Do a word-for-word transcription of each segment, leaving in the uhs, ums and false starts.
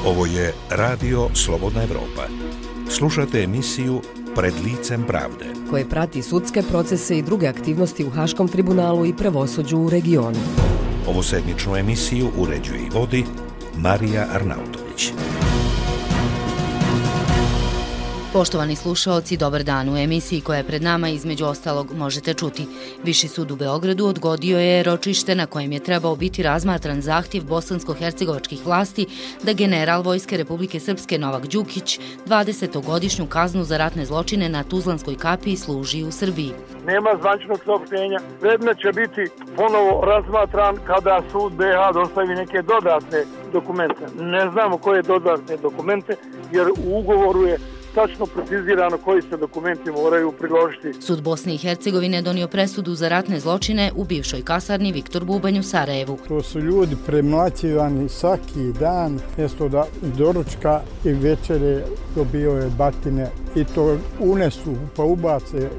Ovo je Radio Slobodna Evropa. Slušate emisiju Pred licem pravde, koje prati sudske procese i druge aktivnosti u Haškom tribunalu i pravosuđu u regionu. Ovu sedmičnu emisiju uređuje i vodi Marija Arnautović. Poštovani slušaoci, dobar dan. U emisiji koja je pred nama između ostalog možete čuti. Viši sud u Beogradu odgodio je ročište na kojem je trebao biti razmatran zahtjev bosansko-hercegovačkih vlasti da general Vojske Republike Srpske Novak Đukić dvadesetogodišnju kaznu za ratne zločine na Tuzlanskoj kapiji služi u Srbiji. Nema zvančnog saopštenja. Predmet će biti ponovo razmatran kada sud be ha dostavi neke dodatne dokumente. Ne znamo koje dodatne dokumente, jer u ugovoru je tačno precizirano koji se dokumenti moraju priložiti. Sud Bosne i Hercegovine donio presudu za ratne zločine u bivšoj kasarni Viktor Bubanj u Sarajevu. To su ljudi premlaćivani svaki dan, mjesto da doručka i večere dobio batine i to unesu pa ubace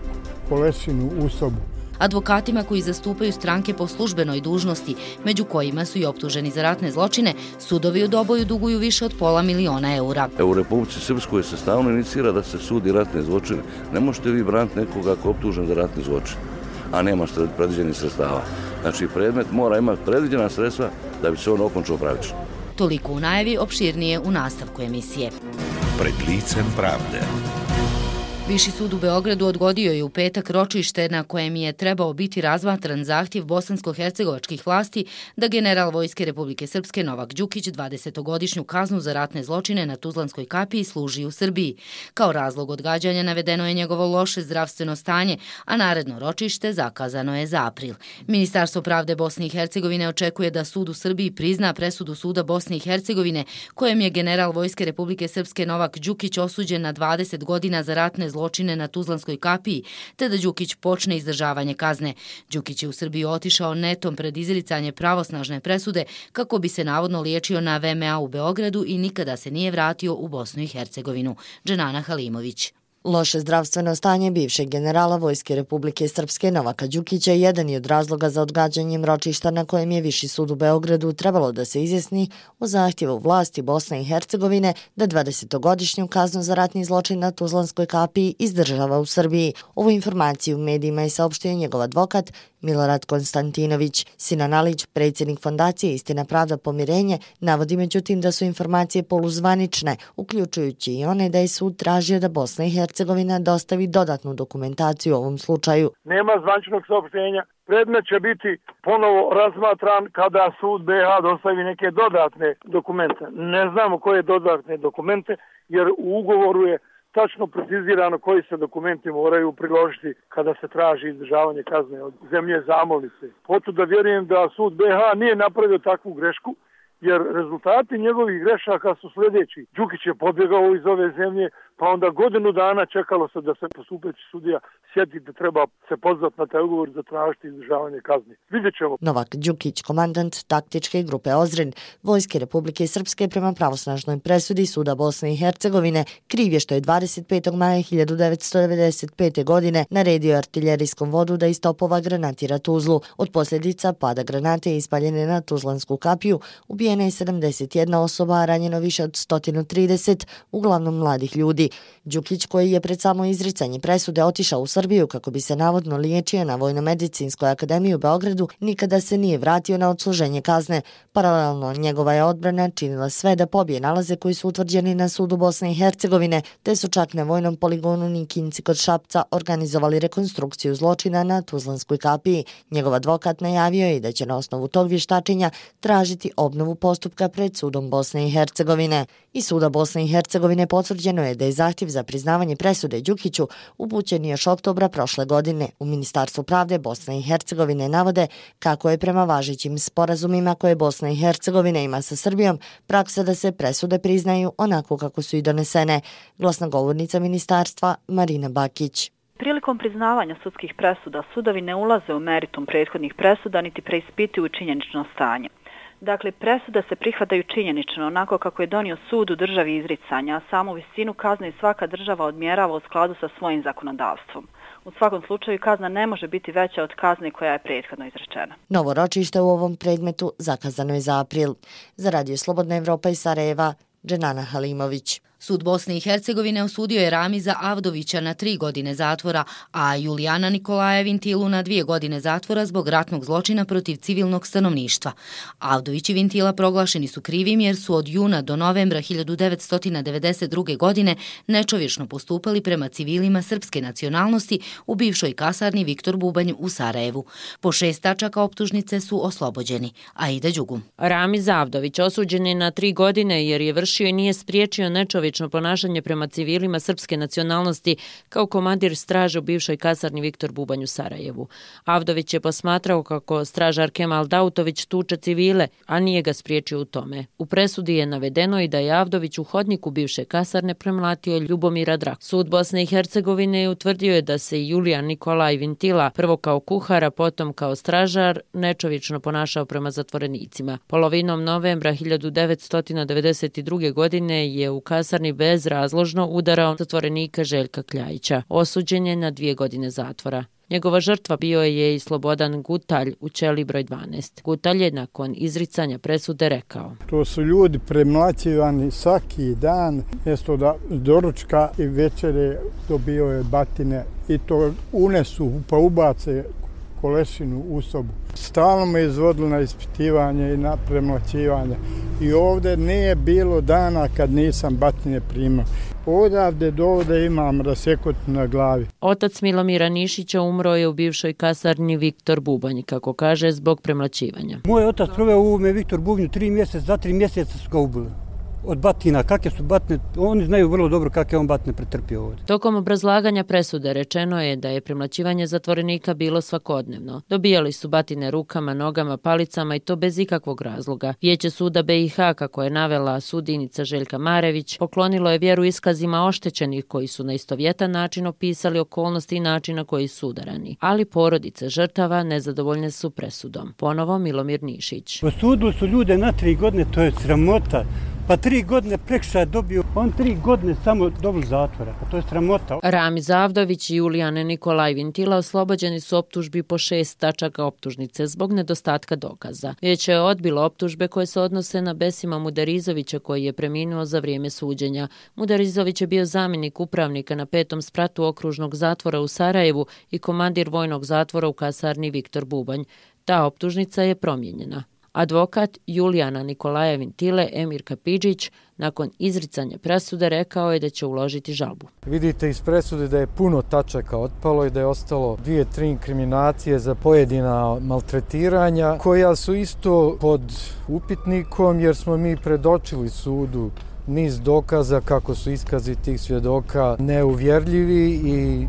kolešinu u sobu. Advokatima koji zastupaju stranke po službenoj dužnosti, među kojima su i optuženi za ratne zločine, sudovi u Doboju duguju više od pola miliona eura. U Republici Srpskoj se stalno inicira da se sudi ratne zločine. Ne možete vi braniti nekoga ko je optužen za ratne zločine, a nema predviđenih sredstava. Znači, predmet mora imati predviđena sredstva da bi se on okončao pravično. Toliko u najavi, opširnije u nastavku emisije. Pred licem pravde. Viši sud u Beogradu odgodio je u petak ročište na kojem je trebao biti razmatran zahtjev bosansko-hercegovačkih vlasti da general Vojske Republike Srpske Novak Đukić dvadesetogodišnju kaznu za ratne zločine na Tuzlanskoj kapiji služi u Srbiji. Kao razlog odgađanja navedeno je njegovo loše zdravstveno stanje, a naredno ročište zakazano je za april. Ministarstvo pravde Bosne i Hercegovine očekuje da sud u Srbiji prizna presudu suda Bosne i Hercegovine kojem je general Vojske Republike Srpske Novak Đukić osuđen na dvadeset godina za ratne zločine na Tuzlanskoj kapiji, te da Đukić počne izdržavanje kazne. Đukić je u Srbiju otišao netom pred izricanje pravosnažne presude kako bi se navodno liječio na ve em a u Beogradu i nikada se nije vratio u Bosnu i Hercegovinu. Dženana Halimović. Loše zdravstveno stanje bivšeg generala Vojske Republike Srpske Novaka Đukića jedan je od razloga za odgađanjem ročišta na kojem je Viši sud u Beogradu trebalo da se izjasni o zahtjevu vlasti Bosne i Hercegovine da dvadesetogodišnju kaznu za ratni zločin na Tuzlanskoj kapiji izdržava u Srbiji. Ovu informaciju u medijima je saopštio njegov advokat Milorad Konstantinović. Sinan Alić, predsjednik fondacije Istina, pravda, pomirenje, navodi međutim da su informacije poluzvanične, uključujući i one da je sud tražio da Bosna i Hercegovina dostavi dodatnu dokumentaciju u ovom slučaju. Nema zvančnog saopštenja. Predmet će biti ponovo razmatran kada sud be ha dostavi neke dodatne dokumente. Ne znamo koje dodatne dokumente, jer u ugovoru je tačno precizirano koji se dokumenti moraju priložiti kada se traži izdržavanje kazne od zemlje zamolnice. Potom da vjerujem da sud be ha nije napravio takvu grešku, jer rezultati njegovih grešaka su sljedeći. Đukić je pobjegao iz ove zemlje, pa onda godinu dana čekalo se da se postupeći sudija sjeti da treba se pozvati na taj ugovor za tražiti izdržavanje kazne. Vidjet ćemo. Novak Đukić, komandant taktičke grupe Ozren Vojske Republike Srpske prema pravosnažnoj presudi suda Bosne i Hercegovine, kriv je što je dvadeset petog maja hiljadu devetsto devedeset pete. godine naredio artiljerijskom vodu da iz topova granatira Tuzlu. Od posljedica pada granate ispaljene na Tuzlansku kapiju ubijena je sedamdeset jedna osoba, a ranjeno više od sto trideset, uglavnom mladih ljudi. Đukić, koji je pred samo izricanje presude otišao u Srbiju kako bi se navodno liječio na Vojno-medicinskoj akademiji u Beogradu, nikada se nije vratio na odsluženje kazne. Paralelno, njegova je odbrana činila sve da pobije nalaze koji su utvrđeni na sudu Bosne i Hercegovine, te su čak na vojnom poligonu Nikinci kod Šapca organizovali rekonstrukciju zločina na Tuzlanskoj kapiji. Njegov advokat najavio je da će na osnovu tog vještačenja tražiti obnovu postupka pred sudom Bosne i Hercegovine. I suda Bosne i Hercegovine potvrđeno je da je zahtjev za priznavanje presude Đukiću upućen još oktobra prošle godine. U Ministarstvu pravde Bosne i Hercegovine navode kako je prema važećim sporazumima koje Bosna i Hercegovina ima sa Srbijom praksa da se presude priznaju onako kako su i donesene. Glasnogovornica ministarstva Marina Bakić. Prilikom priznavanja sudskih presuda sudovi ne ulaze u meritum prethodnih presuda niti preispituju činjenično stanje. Dakle, presude se prihvataju činjenično onako kako je donio sud u državi izricanja, a samu visinu kazne svaka država odmjerava u skladu sa svojim zakonodavstvom. U svakom slučaju kazna ne može biti veća od kazne koja je prethodno izrečena. Novo ročište u ovom predmetu zakazano je za april. Za Radio Slobodna Evropa iz Sarajeva, Dženana Halimović. Sud Bosne i Hercegovine osudio je Ramiza Avdovića na tri godine zatvora, a Julijana Nikolaja Vintilu na dvije godine zatvora zbog ratnog zločina protiv civilnog stanovništva. Avdović i Vintila proglašeni su krivim jer su od juna do novembra hiljadu devetsto devedeset druge. godine nečovječno postupali prema civilima srpske nacionalnosti u bivšoj kasarni Viktor Bubanj u Sarajevu. Po šest tačaka optužnice su oslobođeni. Aida Đugum. Ramiz Avdović osuđen je na tri godine jer je vršio i nije spriječio nečovječno ponašanje prema civilima srpske nacionalnosti kao komandir straže u bivšoj kasarni Viktor Bubanj u Sarajevu. Avdović je posmatrao kako stražar Kemal Dautović tuče civile, a nije ga spriječio u tome. U presudi je navedeno i da je Avdović u hodniku bivše kasarne premlatio Ljubomira Drak. Sud Bosne i Hercegovine utvrdio je da se i Julijan Nikolaj Vintila, prvo kao kuhar, a potom kao stražar, nečovječno ponašao prema zatvorenicima. Polovinom novembra hiljadu devetsto devedeset druge. godine je u kasarni bezrazložno udarao zatvorenika Željka Kljajića. Osuđen je na dvije godine zatvora. Njegova žrtva bio je i Slobodan Gutalj u ćeliji broj dvanaest. Gutalj je nakon izricanja presude rekao: To su ljudi premlaćivani svaki dan, mjesto da doručka i večere dobio je batine i to unesu pa ubace kolešinu u sobu. Stalno me izvodilo na ispitivanje i na premlaćivanje. I ovdje nije bilo dana kad nisam batine primao. Odavde do ovdje imam rasekot na glavi. Otac Milomira Nišića umro je u bivšoj kasarni Viktor Bubanj, kako kaže, zbog premlaćivanja. Moj otac proveo u ovome Viktor Bubnju tri mjeseca, za tri mjeseca su ga ubili. Od batina, kakve su batine, oni znaju vrlo dobro kakve on batine pretrpio ovdje. Tokom obrazlaganja presude rečeno je da je premlaćivanje zatvorenika bilo svakodnevno. Dobijali su batine rukama, nogama, palicama i to bez ikakvog razloga. Vijeće suda B i H, kako je navela sudinica Željka Marević, poklonilo je vjeru iskazima oštećenih koji su na istovjetan način opisali okolnosti i način na koji su udarani. Ali porodice žrtava nezadovoljne su presudom. Ponovo Milomir Nišić. Osudili su ljude na tri godine, to je sramota. Pa tri godine prekršaja dobio, on tri godine samo dobili zatvora, pa to je sramota. Ramiz Avdović i Julijan Nikolaj Vintila oslobođeni su optužbi po šest tačaka optužnice zbog nedostatka dokaza. Vijeće je odbilo optužbe koje se odnose na Besima Mudarizovića koji je preminuo za vrijeme suđenja. Mudarizović je bio zamjenik upravnika na petom spratu okružnog zatvora u Sarajevu i komandir vojnog zatvora u kasarni Viktor Bubanj. Ta optužnica je promijenjena. Advokat Julijana Nikolaja Vintile Emir Kapidžić nakon izricanja presude rekao je da će uložiti žalbu. Vidite iz presude da je puno tačaka otpalo i da je ostalo dvije, tri inkriminacije za pojedina maltretiranja koja su isto pod upitnikom jer smo mi predočili sudu niz dokaza kako su iskazi tih svjedoka neuvjerljivi i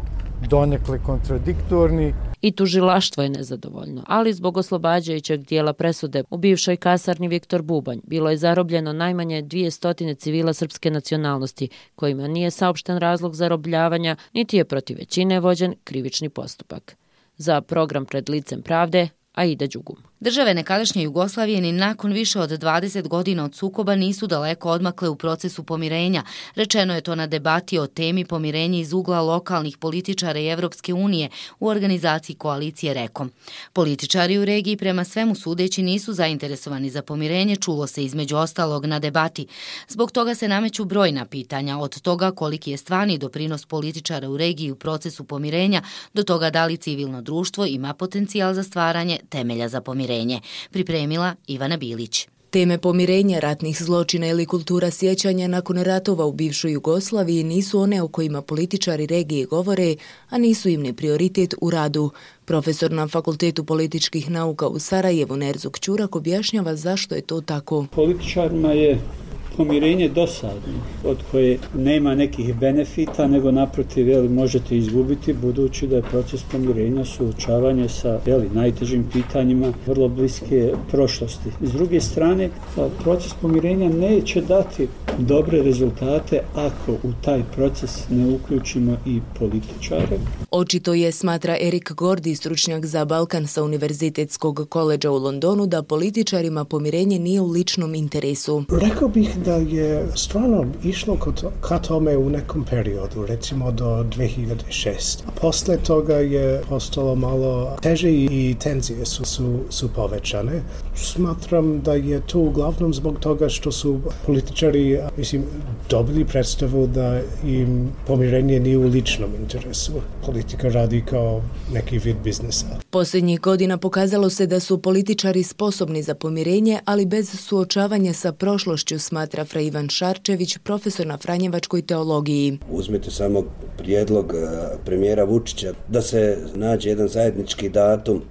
donekle kontradiktorni. I tužilaštvo je nezadovoljno, ali zbog oslobađajućeg dijela presude u bivšoj kasarni Viktor Bubanj bilo je zarobljeno najmanje dvije stotine civila srpske nacionalnosti, kojima nije saopšten razlog zarobljavanja, niti je protiv većine vođen krivični postupak. Za program Pred licem pravde, Aida Đugum. Države nekadašnje Jugoslavije ni nakon više od dvadeset godina od sukoba nisu daleko odmakle u procesu pomirenja. Rečeno je to na debati o temi pomirenja iz ugla lokalnih političara i Evropske unije u organizaciji koalicije Rekom. Političari u regiji prema svemu sudeći nisu zainteresovani za pomirenje, čulo se između ostalog na debati. Zbog toga se nameću brojna pitanja, od toga koliki je stvarni doprinos političara u regiji u procesu pomirenja, do toga da li civilno društvo ima potencijal za stvaranje temelja za pomirenje. Pripremila Ivana Bilić. Teme pomirenja, ratnih zločina ili kultura sjećanja nakon ratova u bivšoj Jugoslaviji nisu one o kojima političari regije govore, a nisu im ni prioritet u radu. Profesor na Fakultetu političkih nauka u Sarajevu Nerzuk Ćurak objašnjava zašto je to tako. Političarima je pomirenje dosadno, od koje nema nekih benefita, nego naprotiv, jeli, možete izgubiti, budući da je proces pomirenja suočavanje sa jeli, najtežim pitanjima vrlo bliske prošlosti. S druge strane, proces pomirenja neće dati dobre rezultate ako u taj proces ne uključimo i političare. Očito je, smatra Erik Gordi, stručnjak za Balkan sa Univerzitetskog koledža u Londonu, da političarima pomirenje nije u ličnom interesu. Rekao bih da je stvarno išlo ka tome u nekom periodu, recimo do dvije hiljade šeste. A posle toga je postalo malo teže i tenzije su, su, su povećane. Smatram da je to uglavnom zbog toga što su političari mislim, dobili predstavu da im pomirenje nije u ličnom interesu. Politika radi kao neki vid biznesa. Posljednjih godina pokazalo se da su političari sposobni za pomirenje, ali bez suočavanja sa prošlošću, smatra fra Ivan Šarčević, profesor na Franjevačkoj teologiji. Uzmite samo prijedlog premijera Vučića da se nađe jedan zajednički datum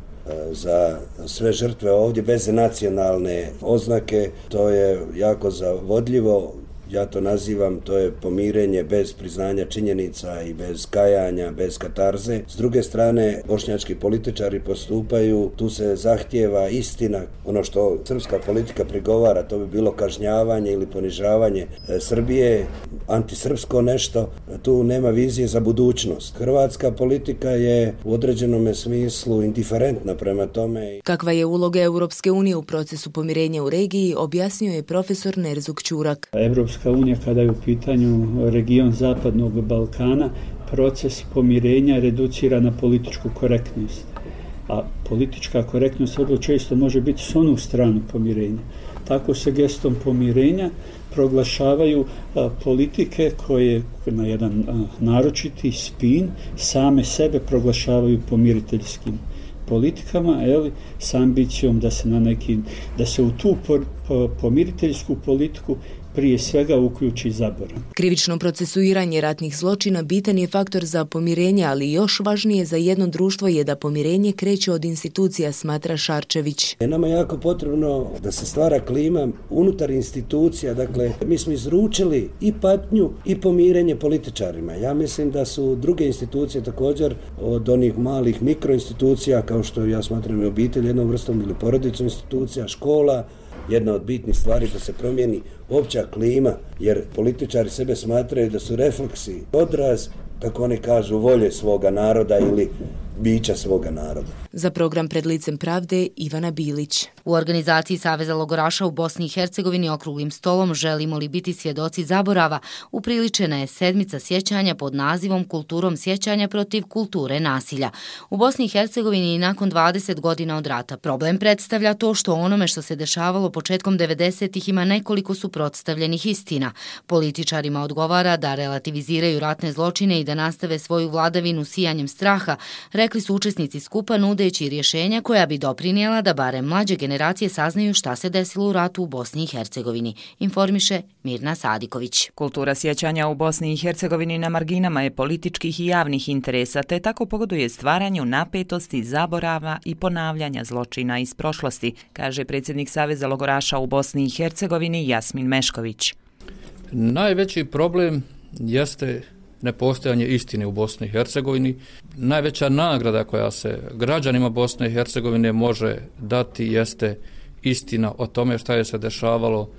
za sve žrtve ovdje bez nacionalne oznake. To je jako zavodljivo. Ja to nazivam, to je pomirenje bez priznanja činjenica i bez kajanja, bez katarze. S druge strane, bošnjački političari postupaju, tu se zahtijeva istina. Ono što srpska politika prigovara, to bi bilo kažnjavanje ili ponižavanje Srbije, antisrpsko nešto. Tu nema vizije za budućnost. Hrvatska politika je u određenom smislu indiferentna prema tome. Kakva je uloga Europske unije u procesu pomirenja u regiji, objasnio je profesor Nerzuk Ćurak. Europska unija, kada je u pitanju region Zapadnog Balkana, proces pomirenja reducira na političku korektnost. A politička korektnost vrlo često može biti s onu stranu pomirenja. Tako se gestom pomirenja proglašavaju a, politike koje na jedan a, naročiti spin same sebe proglašavaju pomiriteljskim politikama, eli, s ambicijom da se na neki, da se u tu po, po, pomiriteljsku politiku prije svega uključi zaborav. Krivično procesuiranje ratnih zločina bitan je faktor za pomirenje, ali još važnije za jedno društvo je da pomirenje kreće od institucija, smatra Šarčević. Nama je jako potrebno da se stvara klima unutar institucija, dakle mi smo izručili i patnju i pomirenje političarima. Ja mislim da su druge institucije također od onih malih mikroinstitucija, kao što ja smatram i obitelj jednom vrstom ili porodicu institucija, škola, jedna od bitnih stvari da se promijeni opća klima, jer političari sebe smatraju da su refleksi, odraz, kako oni kažu, volje svoga naroda ili bića svoga naroda. Za program Pred licem pravde Ivana Bilić. U organizaciji Saveza logoraša u Bosni i Hercegovini okruglim stolom Želimo li biti svjedoci zaborava upriličena je sedmica sjećanja pod nazivom Kulturom sjećanja protiv kulture nasilja. U Bosni i Hercegovini i nakon dvadeset godina od rata problem predstavlja to što onome što se dešavalo početkom devedesetih ima nekoliko suprotstavljenih istina. Političarima odgovara da relativiziraju ratne zločine i da nastave svoju vladavinu sijanjem straha, rekli su učesnici skupa nudeći rješenja koja bi doprinijela da barem mlađe generacije saznaju šta se desilo u ratu u Bosni i Hercegovini, informiše Mirna Sadiković. Kultura sjećanja u Bosni i Hercegovini na marginama je političkih i javnih interesa, te tako pogoduje stvaranju napetosti, zaborava i ponavljanja zločina iz prošlosti, kaže predsjednik Saveza logoraša u Bosni i Hercegovini Jasmin Mešković. Najveći problem jeste nepostojanje istine u Bosni i Hercegovini. Najveća nagrada koja se građanima Bosne i Hercegovine može dati jeste istina o tome šta je se dešavalo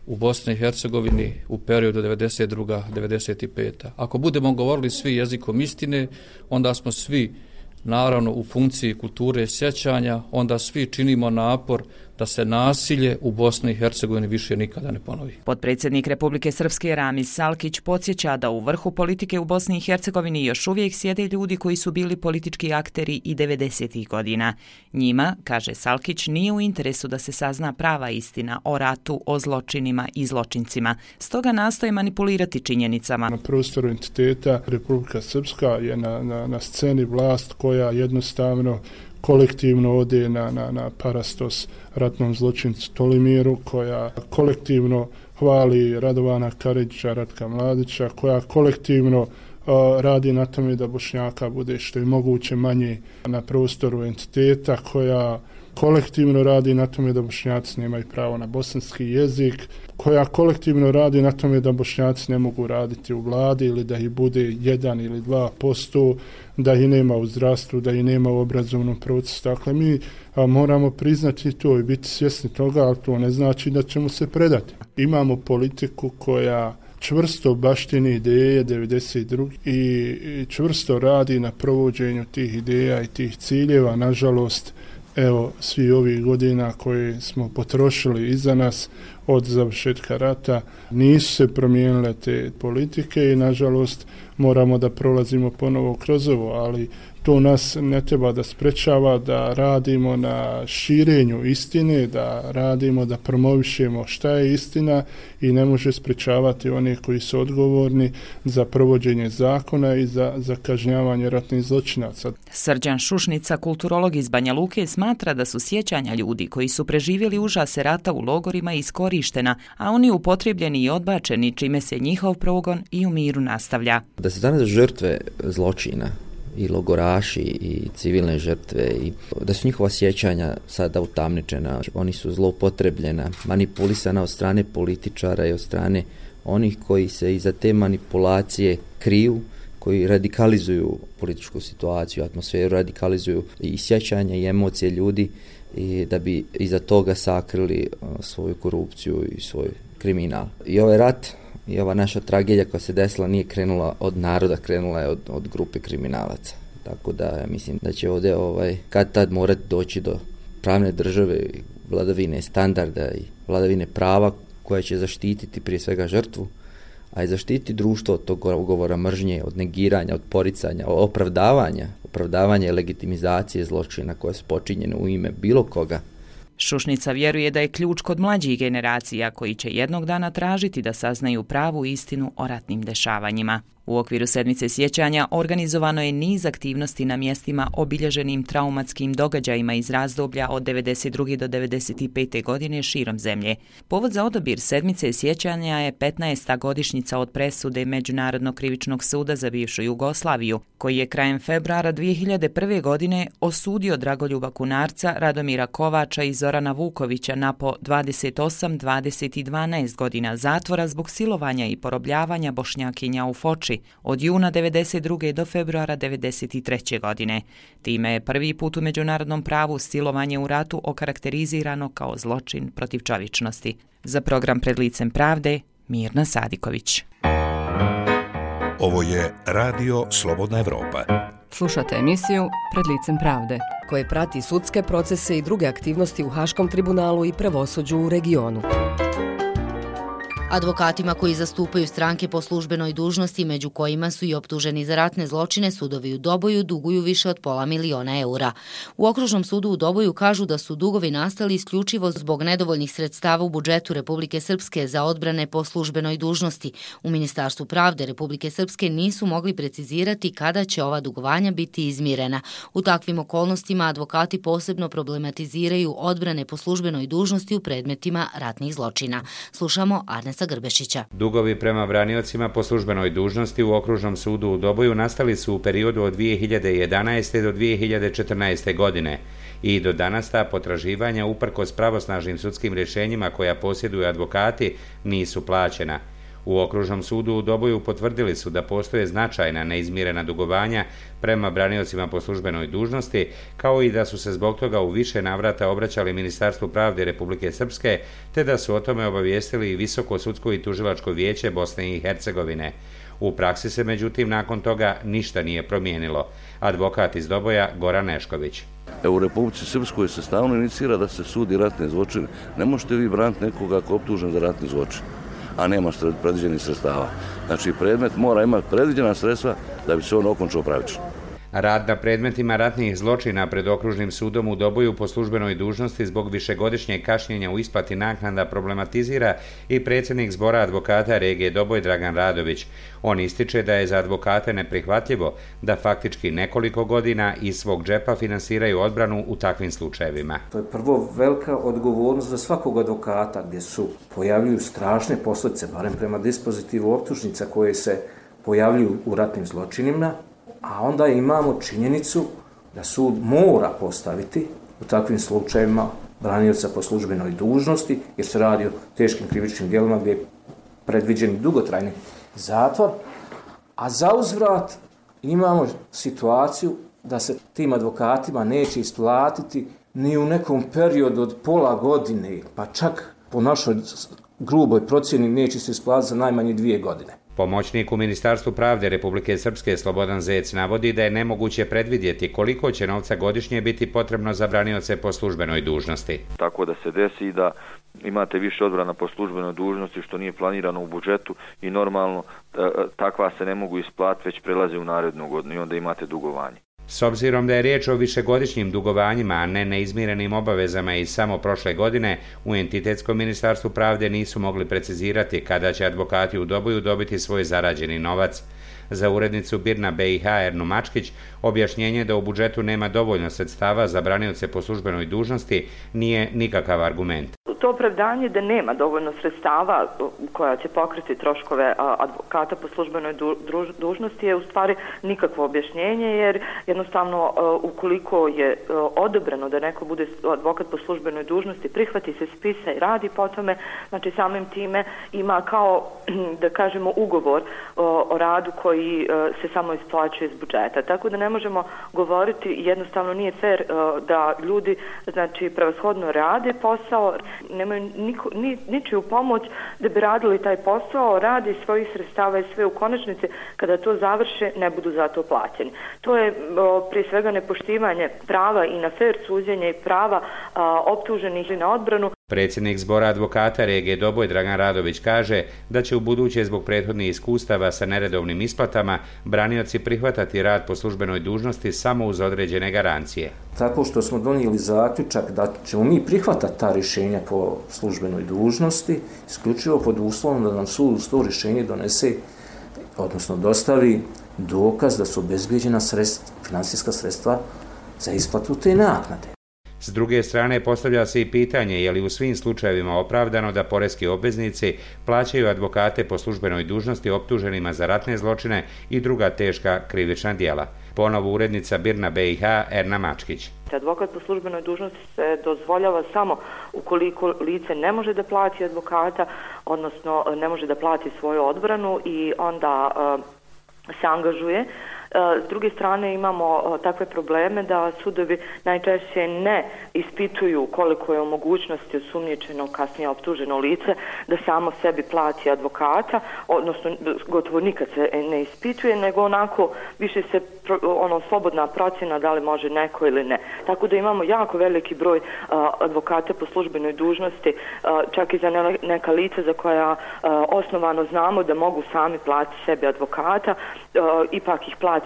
u Bosni i Hercegovini u periodu devedeset druga do devedeset peta Ako budemo govorili svi jezikom istine, onda smo svi naravno u funkciji kulture sjećanja, onda svi činimo napor da se nasilje u Bosni i Hercegovini više nikada ne ponovi. Potpredsjednik Republike Srpske Ramis Salkić podsjeća da u vrhu politike u Bosni i Hercegovini još uvijek sjede ljudi koji su bili politički akteri i devedesetih godina. Njima, kaže Salkić, nije u interesu da se sazna prava istina o ratu, o zločinima i zločincima. Stoga nastoje manipulirati činjenicama. Na prostoru entiteta Republika Srpska je na, na, na sceni vlast koja jednostavno kolektivno ode na, na, na parastos ratnom zločincu Tolimiru, koja kolektivno hvali Radovana Karadžića, Ratka Mladića, koja kolektivno uh, radi na tome da Bošnjaka bude što je moguće manje na prostoru entiteta, koja kolektivno radi na tome da Bošnjaci nemaju pravo na bosanski jezik, koja kolektivno radi na tome da Bošnjaci ne mogu raditi u vladi ili da ih bude jedan ili dva posto, da ih nema u zdravstvu, da ih nema u obrazovnom procesu. Dakle, mi a, moramo priznati to i biti svjesni toga, ali to ne znači da ćemo se predati. Imamo politiku koja čvrsto baštini ideje devedeset druge i čvrsto radi na provođenju tih ideja i tih ciljeva. Nažalost, evo, svi ovih godina koje smo potrošili iza nas od završetka rata, nisu se promijenile te politike i nažalost moramo da prolazimo ponovo kroz ovo, ali to nas ne treba da sprečava da radimo na širenju istine, da radimo, da promovišemo šta je istina i ne može sprečavati one koji su odgovorni za provođenje zakona i za, za kažnjavanje ratnih zločinaca. Srđan Šušnica, kulturolog iz Banja Luke, smatra da su sjećanja ljudi koji su preživjeli užase rata u logorima iskorištena, a oni upotrebljeni i odbačeni, čime se njihov progon i u miru nastavlja. Da se danas žrtve zločina i logoraši i civilne žrtve i da su njihova sjećanja sada utamničena, oni su zloupotrebljena, manipulisana od strane političara i od strane onih koji se iza te manipulacije kriju, koji radikalizuju političku situaciju, atmosferu, radikalizuju i sjećanja i emocije ljudi i da bi iza toga sakrili svoju korupciju i svoj kriminal. I ovaj rat i ova naša tragedija koja se desila nije krenula od naroda, krenula je od, od grupe kriminalaca. Tako da ja mislim da će ovdje ovaj, kad tad morati doći do pravne države, vladavine standarda i vladavine prava koja će zaštititi prije svega žrtvu, a i zaštititi društvo od tog govora mržnje, od negiranja, od poricanja, od opravdavanja, opravdavanja i legitimizacije zločina koje su počinjene u ime bilo koga. Šušnica vjeruje da je ključ kod mlađih generacija koji će jednog dana tražiti da saznaju pravu istinu o ratnim dešavanjima. U okviru sedmice sjećanja organizovano je niz aktivnosti na mjestima obilježenim traumatskim događajima iz razdoblja od devedeset druge do devedeset pete godine širom zemlje. Povod za odabir sedmice sjećanja je petnaesta godišnjica od presude Međunarodnog krivičnog suda za bivšu Jugoslaviju, koji je krajem februara dvije hiljade prve. godine osudio Dragoljuba Kunarca, Radomira Kovača i Zorana Vukovića na po dvadeset osam, dvadeset i dvanaest godina zatvora zbog silovanja i porobljavanja Bošnjakinja u Foči od juna devedeset druge. do februara devedeset treće. godine. Time je prvi put u međunarodnom pravu silovanje u ratu okarakterizirano kao zločin protiv čovječnosti. Za program Pred licem pravde, Mirna Sadiković. Ovo je Radio Slobodna Evropa. Slušate emisiju Pred licem pravde, koje prati sudske procese i druge aktivnosti u Haškom tribunalu i pravosuđu u regionu. Advokatima koji zastupaju stranke po službenoj dužnosti, među kojima su i optuženi za ratne zločine, sudovi u Doboju duguju više od pola miliona eura. U Okružnom sudu u Doboju kažu da su dugovi nastali isključivo zbog nedovoljnih sredstava u budžetu Republike Srpske za odbrane po službenoj dužnosti. U Ministarstvu pravde Republike Srpske nisu mogli precizirati kada će ova dugovanja biti izmirena. U takvim okolnostima advokati posebno problematiziraju odbrane po službenoj dužnosti u predmetima ratnih zločina. Slušamo Arnesa Grbešića. Dugovi prema braniocima po službenoj dužnosti u Okružnom sudu u Doboju nastali su u periodu od dvije hiljade jedanaeste. do dvije hiljade četrnaeste. godine i do danas ta potraživanja uprkos pravosnažnim sudskim rješenjima koja posjeduju advokati nisu plaćena. U Okružnom sudu u Doboju potvrdili su da postoje značajna neizmirena dugovanja prema braniocima po službenoj dužnosti, kao i da su se zbog toga u više navrata obraćali Ministarstvu pravde Republike Srpske, te da su o tome obavijestili i Visoko sudsko i tužilačko vijeće Bosne i Hercegovine. U praksi se međutim nakon toga ništa nije promijenilo. Advokat iz Doboja Goran Nešković. Evo, u Republici Srpskoj se stalno inicira da se sudi ratne zločine. Ne možete vi braniti nekoga ako je optužen za ratni zločin, a nema predviđenih sredstava. Znači, predmet mora imati predviđena sredstva da bi se on okončao pravično. Rad na predmetima ratnih zločina pred Okružnim sudom u Doboju po službenoj dužnosti zbog višegodišnjeg kašnjenja u isplati naknada problematizira i predsjednik zbora advokata regije Doboj Dragan Radović. On ističe da je za advokate neprihvatljivo da faktički nekoliko godina iz svog džepa finansiraju odbranu u takvim slučajevima. To je prvo velika odgovornost za svakog advokata gdje su pojavljuju strašne posljedice, barem prema dispozitivu optužnica koje se pojavljuju u ratnim zločinima. A onda imamo činjenicu da sud mora postaviti u takvim slučajevima branioca po službenoj dužnosti, jer se radi o teškim krivičnim djelima gdje je predviđen dugotrajni zatvor, a za uzvrat imamo situaciju da se tim advokatima neće isplatiti ni u nekom periodu od pola godine, pa čak po našoj gruboj procjeni neće se isplatiti za najmanje dvije godine. Pomoćnik u Ministarstvu pravde Republike Srpske Slobodan Zec navodi da je nemoguće predvidjeti koliko će novca godišnje biti potrebno za branioce po službenoj dužnosti. Tako da se desi da imate više odbrana po službenoj dužnosti što nije planirano u budžetu i normalno takva se ne mogu isplatiti, već prelaze u narednu godinu i onda imate dugovanje. S obzirom da je riječ o višegodišnjim dugovanjima, a ne neizmirenim obavezama iz samo prošle godine, u Entitetskom ministarstvu pravde nisu mogli precizirati kada će advokati u Doboju dobiti svoj zarađeni novac. Za urednicu Birna B I H Ernu Mačkić, objašnjenje da u budžetu nema dovoljno sredstava za branioce po službenoj dužnosti nije nikakav argument. To opravdanje da nema dovoljno sredstava koja će pokriti troškove advokata po službenoj dužnosti je u stvari nikakvo objašnjenje, jer jednostavno ukoliko je odobreno da neko bude advokat po službenoj dužnosti, prihvati se spisa i radi po tome, znači samim time ima kao, da kažemo, ugovor o radu koji se samo isplaćuje iz budžeta. Tako da ne možemo govoriti, jednostavno nije fair da ljudi, znači, prevashodno rade posao, nemaju niko, ni, ničiju pomoć da bi radili taj posao, radi svojih sredstava i sve u konačnici, kada to završe, ne budu za to plaćeni. To je o, prije svega nepoštivanje prava i na fair suđenje i prava a, optuženih na odbranu. Predsjednik Zbora advokata regije Doboj Dragan Radović kaže da će u buduće zbog prethodnih iskustava sa neredovnim isplatama branioci prihvatati rad po službenoj dužnosti samo uz određene garancije. Tako što smo donijeli zaključak da ćemo mi prihvatati ta rješenja po službenoj dužnosti, isključivo pod uslovom da nam sud uz to rješenje donese, odnosno dostavi dokaz da su obezbijeđena sredstva, financijska sredstva za isplatu te naknade. S druge strane, postavlja se i pitanje je li u svim slučajevima opravdano da poreski obveznici plaćaju advokate po službenoj dužnosti optuženima za ratne zločine i druga teška krivična djela. Ponovo urednica Birna B I H Erna Mačkić. Advokat po službenoj dužnosti se dozvoljava samo ukoliko lice ne može da plati advokata, odnosno ne može da plati svoju odbranu i onda uh, se angažuje. S druge strane imamo takve probleme da sudovi najčešće ne ispituju koliko je u mogućnosti osumnjičeno, kasnije optuženo lice da samo sebi plati advokata, odnosno gotovo nikad se ne ispituje, nego onako više se ono slobodna procjena da li može neko ili ne. Tako da imamo jako veliki broj advokata po službenoj dužnosti, čak i za neka lica za koja osnovano znamo da mogu sami platiti sebi advokata, ipak ih plati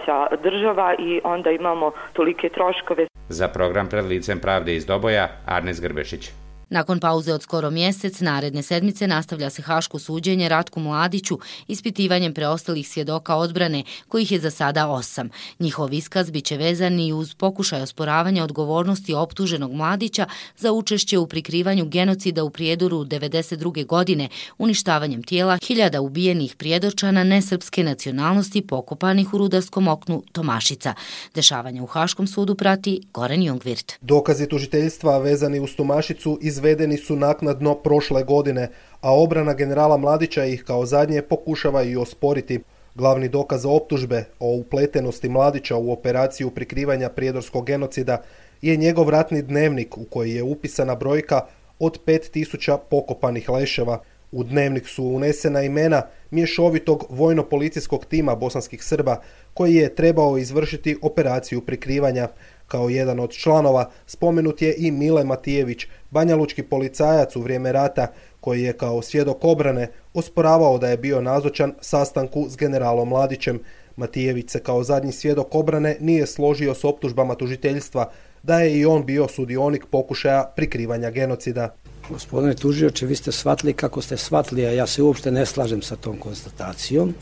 država i onda imamo tolike troškove. Za program Pred licem pravde iz Doboja, Arnes Grbešić. Nakon pauze od skoro mjesec, naredne sedmice nastavlja se haško suđenje Ratku Mladiću ispitivanjem preostalih svjedoka odbrane, kojih je za sada osam. Njihov iskaz biće vezan i uz pokušaj osporavanja odgovornosti optuženog Mladića za učešće u prikrivanju genocida u Prijedoru devedeset druge godine, uništavanjem tijela hiljada ubijenih Prijedorčana nesrpske nacionalnosti pokopanih u rudarskom oknu Tomašica. Dešavanja u Haškom sudu prati Goran Jungvirt. Dokazi tužiteljstva vezani uz Tomašicu izvedeni su naknadno prošle godine, a obrana generala Mladića ih kao zadnje pokušava i osporiti. Glavni dokaz optužbe o upletenosti Mladića u operaciju prikrivanja prijedorskog genocida je njegov ratni dnevnik u koji je upisana brojka od pet tisuća pokopanih leševa. U dnevnik su unesena imena mješovitog vojno-policijskog tima bosanskih Srba koji je trebao izvršiti operaciju prikrivanja. Kao jedan od članova spomenut je i Mile Matijević, banjalučki policajac u vrijeme rata, koji je kao svjedok obrane osporavao da je bio nazočan sastanku s generalom Mladićem. Matijević se kao zadnji svjedok obrane nije složio s optužbama tužiteljstva da je i on bio sudionik pokušaja prikrivanja genocida. Gospodine tužioče, vi ste shvatili kako ste shvatili, a ja se uopšte ne slažem sa tom konstatacijom.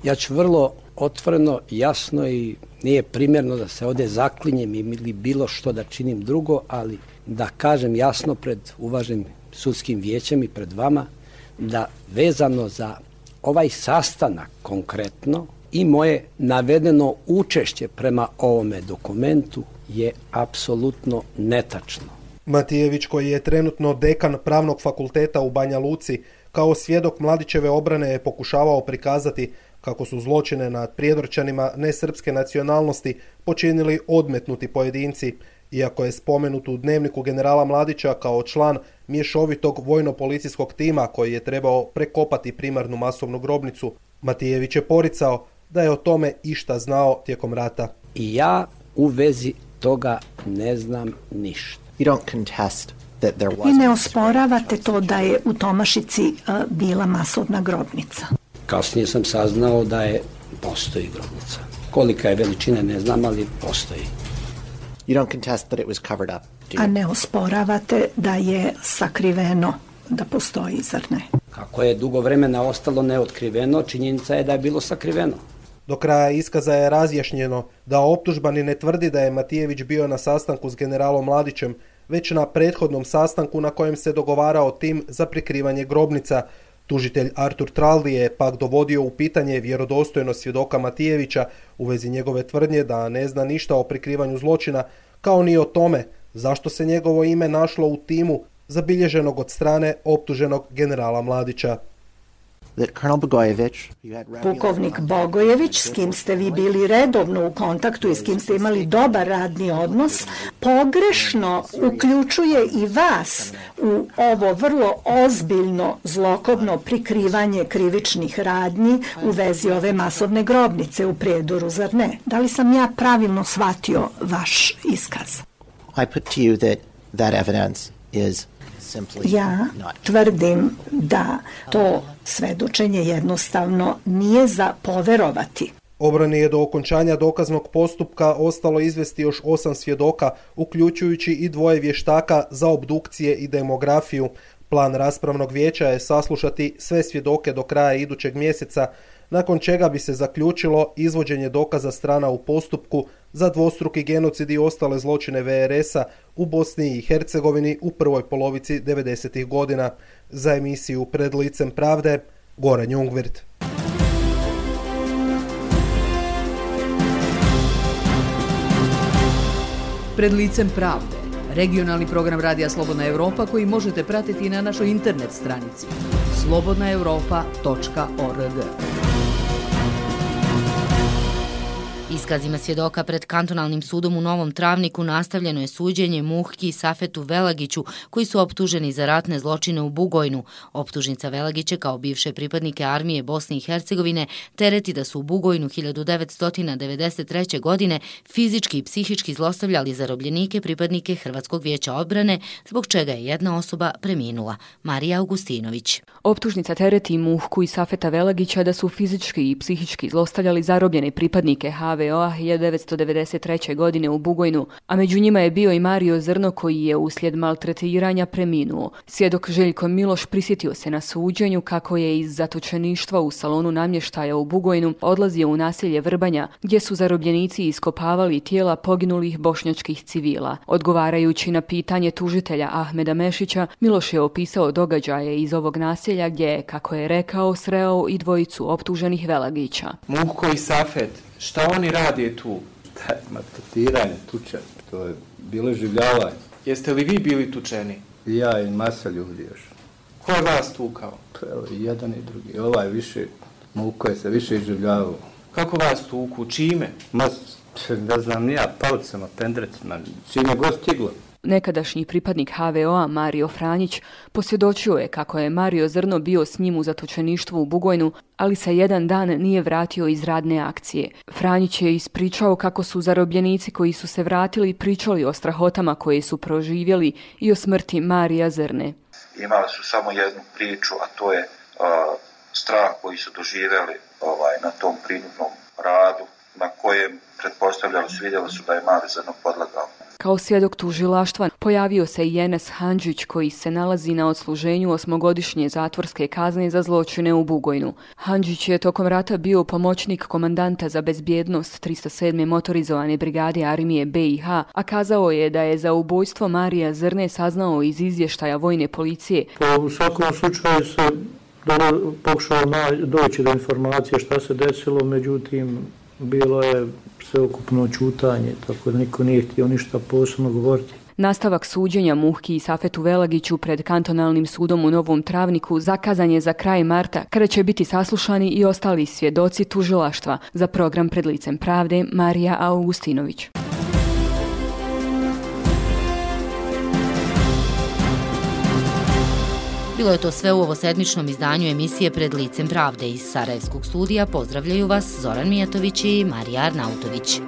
Ja ću vrlo otvoreno, jasno i nije primjerno da se ovdje zaklinjem ili bilo što da činim drugo, ali da kažem jasno pred uvaženim sudskim vijećem i pred vama da vezano za ovaj sastanak konkretno i moje navedeno učešće prema ovome dokumentu je apsolutno netačno. Matijević, koji je trenutno dekan Pravnog fakulteta u Banja Luci, kao svjedok Mladićeve obrane je pokušavao prikazati kako su zločine nad Prijedorčanima nesrpske nacionalnosti počinili odmetnuti pojedinci, iako je spomenut u dnevniku generala Mladića kao član mješovitog vojno-policijskog tima koji je trebao prekopati primarnu masovnu grobnicu. Matijević je poricao da je o tome išta znao tijekom rata. I ja u vezi toga ne znam ništa. I ne osporavate to da je u Tomašici uh, bila masovna grobnica? Kasnije sam saznao da je postoji grobnica. Kolika je veličina, ne znam, ali postoji. You don't contest that it was covered up, do you? A ne osporavate da je sakriveno, da postoji, zar ne? Kako je dugo vremena ostalo neotkriveno, činjenica je da je bilo sakriveno. Do kraja iskaza je razjašnjeno da optužbani ne tvrdi da je Matijević bio na sastanku s generalom Mladićem, već na prethodnom sastanku na kojem se dogovarao tim za prikrivanje grobnica. Tužitelj Artur Traldi je pak dovodio u pitanje vjerodostojnost svjedoka Matijevića u vezi njegove tvrdnje da ne zna ništa o prikrivanju zločina, kao ni o tome zašto se njegovo ime našlo u timu zabilježenog od strane optuženog generala Mladića. Pukovnik Bogojević, s kim ste vi bili redovno u kontaktu i s kim ste imali dobar radni odnos, pogrešno uključuje i vas u ovo vrlo ozbiljno zlokobno prikrivanje krivičnih radnji u vezi ove masovne grobnice u Prijedoru, zar ne? Da li sam ja pravilno shvatio vaš iskaz? I put to you that that evidence is Ja tvrdim da to svedočenje jednostavno nije za poverovati. Obrani je do okončanja dokaznog postupka ostalo izvesti još osam svjedoka, uključujući i dvoje vještaka za obdukcije i demografiju. Plan raspravnog vijeća je saslušati sve svjedoke do kraja idućeg mjeseca, nakon čega bi se zaključilo izvođenje dokaza strana u postupku za dvostruki genocid i ostale zločine ve er es a u Bosni i Hercegovini u prvoj polovici devedesetih godina. Za emisiju Pred licem pravde, Goran Jungwirth. Pred licem pravde, regionalni program Radija Slobodna Europa koji možete pratiti na našoj internet stranici slobodna europa tačka org. Iskazima svjedoka pred kantonalnim sudom u Novom Travniku nastavljeno je suđenje Muhki i Safetu Velagiću, koji su optuženi za ratne zločine u Bugojnu. Optužnica Velagića kao bivše pripadnike armije Bosne i Hercegovine tereti da su u Bugojnu hiljadu devetsto devedeset treće. godine fizički i psihički zlostavljali zarobljenike pripadnike Hrvatskog vijeća odbrane, zbog čega je jedna osoba preminula. Marija Augustinović. Optužnica tereti Muhku i Safeta Velagića da su fizički i psihički zlostavljali zarobljene pripadnike ha ve o a hiljadu devetsto devedeset treće. godine u Bugojnu, a među njima je bio i Mario Zrno koji je uslijed maltretiranja preminuo. Svjedok Željko Miloš prisjetio se na suđenju kako je iz zatočeništva u salonu namještaja u Bugojnu odlazio u naselje Vrbanja, gdje su zarobljenici iskopavali tijela poginulih bošnjačkih civila. Odgovarajući na pitanje tužitelja Ahmeda Mešića, Miloš je opisao događaje iz ovog naselja gdje je, kako je rekao, sreo i dvojicu optuženih Velagića. Muhko i Safet, šta oni radi tu? Maltretiranje, tuča, to je bilo življavanje. Jeste li vi bili tučeni? Ja i masa ljudi još. Ko je vas tukao? Evo, jedan i drugi. Ovaj više, Muhko je se više iživljavao. Kako vas tuku? Čime? Ma, ne znam, nija, palcama, pendrecima, čime god stiglo. Nekadašnji pripadnik ha ve o a Mario Franjić posvjedočio je kako je Mario Zrno bio s njim u zatočeništvu u Bugojnu, ali se jedan dan nije vratio iz radne akcije. Franjić je ispričao kako su zarobljenici koji su se vratili pričali o strahotama koje su proživjeli i o smrti Marija Zrne. Imali su samo jednu priču, a to je uh, strah koji su doživjeli ovaj, na tom prinudnom radu, na kojem pretpostavljali su, vidjeli su da je Mali Zrno podlegao. Kao svjedok tužilaštva pojavio se i Enes Handžić koji se nalazi na odsluženju osmogodišnje zatvorske kazne za zločine u Bugojnu. Handžić je tokom rata bio pomoćnik komandanta za bezbjednost tristo sedme motorizovane brigade armije be i ha, a kazao je da je za ubojstvo Marija Zrne saznao iz izvještaja vojne policije. Pa u svakom slučaju se pokušao doći do informacije šta se desilo, međutim bilo je sveukupno čutanje, tako da niko nije htio ništa posebno govoriti. Nastavak suđenja Muhki i Safetu Velagiću pred kantonalnim sudom u Novom Travniku zakazan je za kraj marta, kada će biti saslušani i ostali svjedoci tužilaštva. Za program Pred licem pravde, Marija Augustinović. Bilo je to sve u ovosedmičnom izdanju emisije Pred licem pravde. Iz Sarajevskog studija pozdravljaju vas Zoran Mijatović i Marija Arnautović.